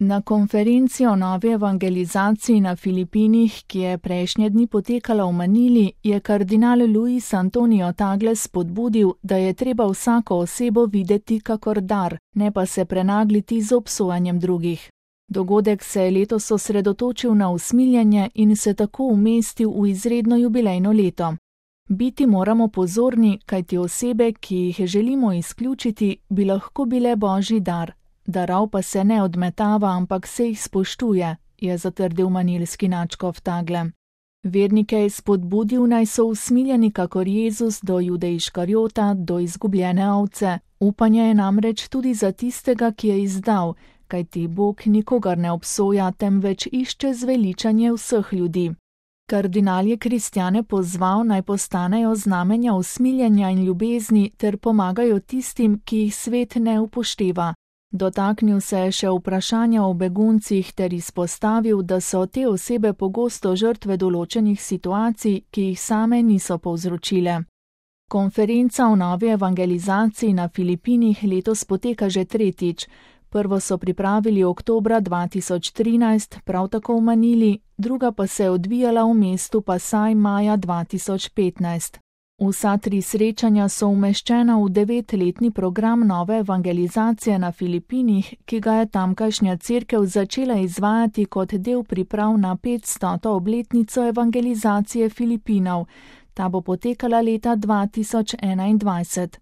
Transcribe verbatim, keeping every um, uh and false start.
Na konferenci o novi evangelizaciji na Filipinih, ki je prejšnje dni potekala v Manili, je kardinal Luis Antonio Tagle spodbudil, da je treba vsako osebo videti kakor dar, ne pa se prenagliti z obsojanjem drugih. Dogodek se je letos osredotočil na usmiljenje in se tako umestil v izredno jubilejno leto. Biti moramo pozorni, kajti osebe, ki jih želimo izključiti, bi lahko bile božji dar. Darov pa se ne odmetava, ampak se jih spoštuje, je zatrdil manilski nadškof Tagle. Vernike je spodbudil, naj so usmiljeni kakor Jezus do Jude Iškariota, do izgubljene ovce. Upanje je namreč tudi za tistega, ki je izdal, kajti Bog nikogar ne obsoja, temveč išče zveličanje vseh ljudi. Kardinal je kristjane pozval, naj postanejo znamenja usmiljenja in ljubezni ter pomagajo tistim, ki jih svet ne upošteva. Dotaknil se je še vprašanja o beguncih ter izpostavil, da so te osebe pogosto žrtve določenih situacij, ki jih same niso povzročile. Konferenca o novi evangelizaciji na Filipinih letos poteka že tretjič. Prvo so pripravili oktobra dva tisoč trinajst, prav tako v Manili, druga pa se je odvijala v mestu Pasaj maja dva tisoč petnajst. Vsa tri srečanja so umeščena v devetletni program nove evangelizacije na Filipinih, ki ga je tamkajšnja cerkev začela izvajati kot del priprav na petstoto obletnico evangelizacije Filipinov. Ta bo potekala leta dva tisoč enaindvajset.